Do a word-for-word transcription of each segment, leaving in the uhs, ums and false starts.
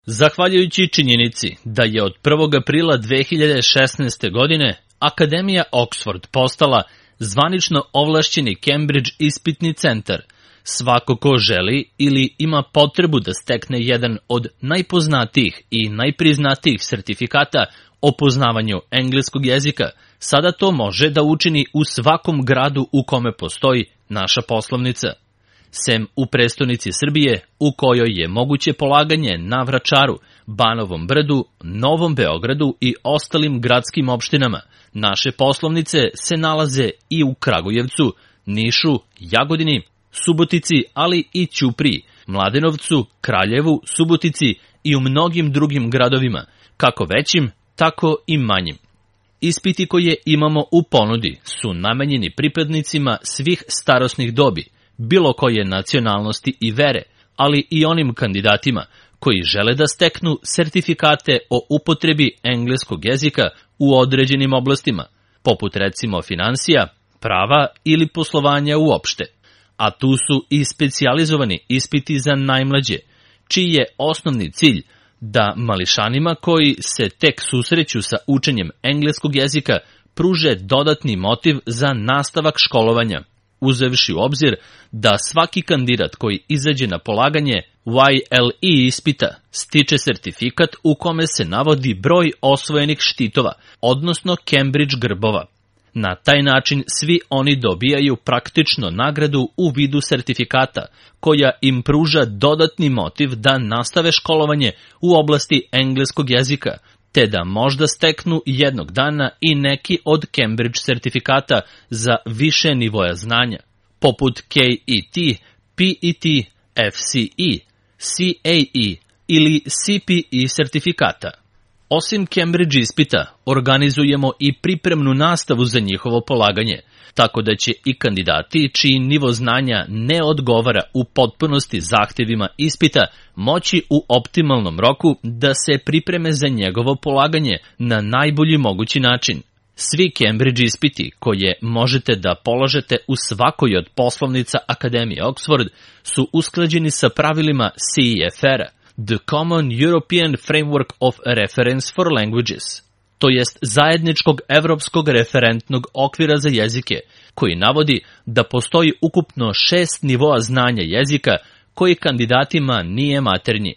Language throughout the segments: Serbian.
Zahvaljujući činjenici da je od prvog aprila dve hiljade šesnaeste. godine Akademija Oxford postala zvanično ovlašćeni Cambridge ispitni centar, svako ko želi ili ima potrebu da stekne jedan od najpoznatijih i najpriznatijih sertifikata o poznavanju engleskog jezika, sada to može da učini u svakom gradu u kome postoji naša poslovnica. Sem u prestonici Srbije, u kojoj je moguće polaganje na Vračaru, Banovom Brdu, Novom Beogradu i ostalim gradskim opštinama, naše poslovnice se nalaze i u Kragujevcu, Nišu, Jagodini, Subotici, ali i Ćupriji, Mladenovcu, Kraljevu, Subotici i u mnogim drugim gradovima, kako većim, tako i manjim. Ispiti koje imamo u ponudi su namenjeni pripadnicima svih starosnih dobi, bilo koje nacionalnosti i vere, ali i onim kandidatima koji žele da steknu sertifikate o upotrebi engleskog jezika u određenim oblastima, poput recimo finansija, prava ili poslovanja uopšte. A tu su i specijalizovani ispiti za najmlađe, čiji je osnovni cilj da mališanima koji se tek susreću sa učenjem engleskog jezika pruže dodatni motiv za nastavak školovanja, uzevši u obzir da svaki kandidat koji izađe na polaganje Y L E ispita stiče sertifikat u kome se navodi broj osvojenih štitova, odnosno Cambridge grbova. Na taj način svi oni dobijaju praktično nagradu u vidu sertifikata, koja im pruža dodatni motiv da nastave školovanje u oblasti engleskog jezika, te da možda steknu jednog dana i neki od Cambridge sertifikata za više nivoja znanja, poput K E T, P E T, F C E, C A E ili C P E sertifikata. Osim Cambridge ispita, organizujemo i pripremnu nastavu za njihovo polaganje, tako da će i kandidati čiji nivo znanja ne odgovara u potpunosti zahtevima ispita moći u optimalnom roku da se pripreme za njegovo polaganje na najbolji mogući način. Svi Cambridge ispiti koje možete da položete u svakoj od poslovnica Akademije Oxford su usklađeni sa pravilima C E F R-a, The Common European Framework of Reference for Languages, to jest zajedničkog evropskog referentnog okvira za jezike, koji navodi da postoji ukupno šest nivoa znanja jezika koji kandidatima nije maternji.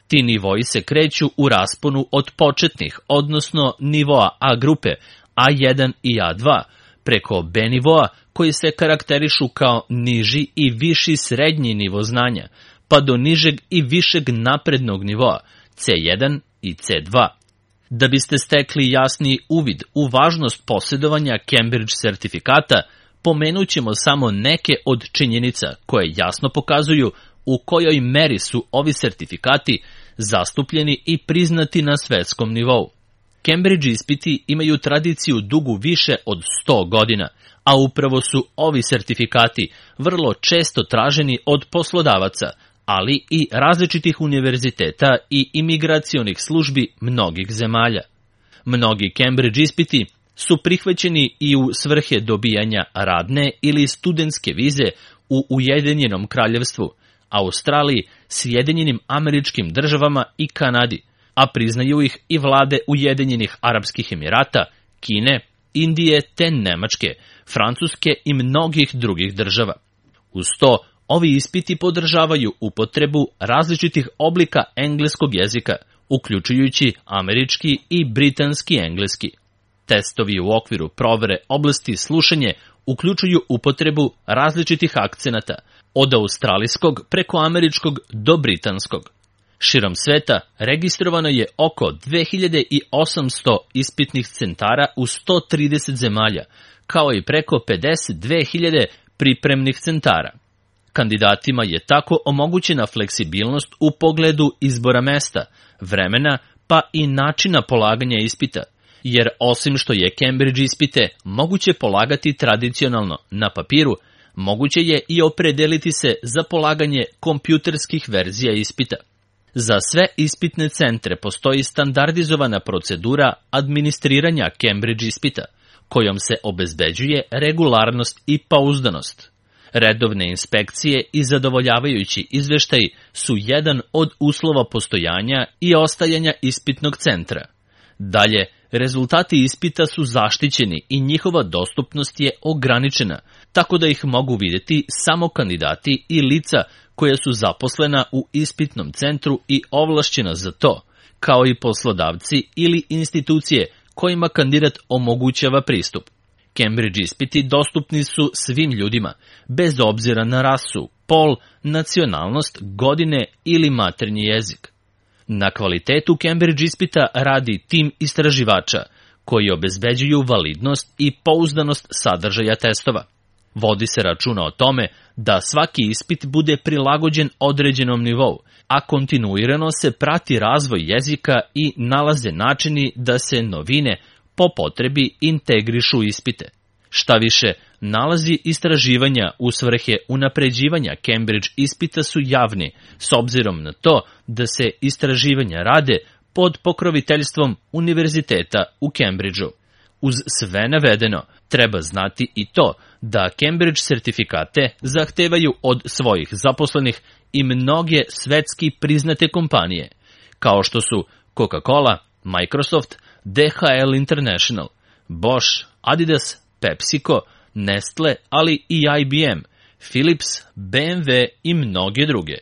Ti nivoi se kreću u rasponu od početnih, odnosno nivoa A grupe, A jedan i A dva, preko B nivoa koji se karakterišu kao niži i viši srednji nivo znanja, pa do nižeg i višeg naprednog nivoa, C jedan i C dva. Da biste stekli jasni uvid u važnost posjedovanja Cambridge sertifikata, pomenut ćemo samo neke od činjenica koje jasno pokazuju u kojoj meri su ovi sertifikati zastupljeni i priznati na svetskom nivou. Cambridge ispiti imaju tradiciju dugu više od sto godina, a upravo su ovi sertifikati vrlo često traženi od poslodavaca, ali i različitih univerziteta i imigracionih službi mnogih zemalja. Mnogi Cambridge ispiti su prihvaćeni i u svrhe dobijanja radne ili studentske vize u Ujedinjenom kraljevstvu, Australiji, Sjedinjenim Američkim Državama i Kanadi, a priznaju ih i vlade Ujedinjenih Arapskih Emirata, Kine, Indije te Nemačke, Francuske i mnogih drugih država. Uz to, ovi ispiti podržavaju upotrebu različitih oblika engleskog jezika, uključujući američki i britanski engleski. Testovi u okviru provere oblasti slušanje uključuju upotrebu različitih akcenata, od australijskog preko američkog do britanskog. Širom sveta registrovano je oko dve hiljade osamsto ispitnih centara u sto trideset zemalja, kao i preko pedeset dve hiljade pripremnih centara. Kandidatima je tako omogućena fleksibilnost u pogledu izbora mesta, vremena pa i načina polaganja ispita, jer osim što je Cambridge ispite moguće polagati tradicionalno na papiru, moguće je i opredeliti se za polaganje kompjuterskih verzija ispita. Za sve ispitne centre postoji standardizovana procedura administriranja Cambridge ispita, kojom se obezbeđuje regularnost i pouzdanost. Redovne inspekcije i zadovoljavajući izveštaj su jedan od uslova postojanja i ostajanja ispitnog centra. Dalje, rezultati ispita su zaštićeni i njihova dostupnost je ograničena, tako da ih mogu vidjeti samo kandidati i lica koja su zaposlena u ispitnom centru i ovlašćena za to, kao i poslodavci ili institucije kojima kandidat omogućava pristup. Cambridge ispiti dostupni su svim ljudima, bez obzira na rasu, pol, nacionalnost, godine ili maternji jezik. Na kvalitetu Cambridge ispita radi tim istraživača, koji obezbeđuju validnost i pouzdanost sadržaja testova. Vodi se računa o tome da svaki ispit bude prilagođen određenom nivou, a kontinuirano se prati razvoj jezika i nalaze načini da se novine po potrebi integrišu ispite. Šta više, nalazi istraživanja u svrhe unapređivanja Cambridge ispita su javni, s obzirom na to da se istraživanja rade pod pokroviteljstvom Univerziteta u Cambridgeu. Uz sve navedeno, treba znati i to da Cambridge sertifikate zahtevaju od svojih zaposlenih i mnoge svetski priznate kompanije, kao što su Coca-Cola, Microsoft, D H L International, Bosch, Adidas, PepsiCo, Nestle, ali i I B M, Philips, B M W i mnoge druge.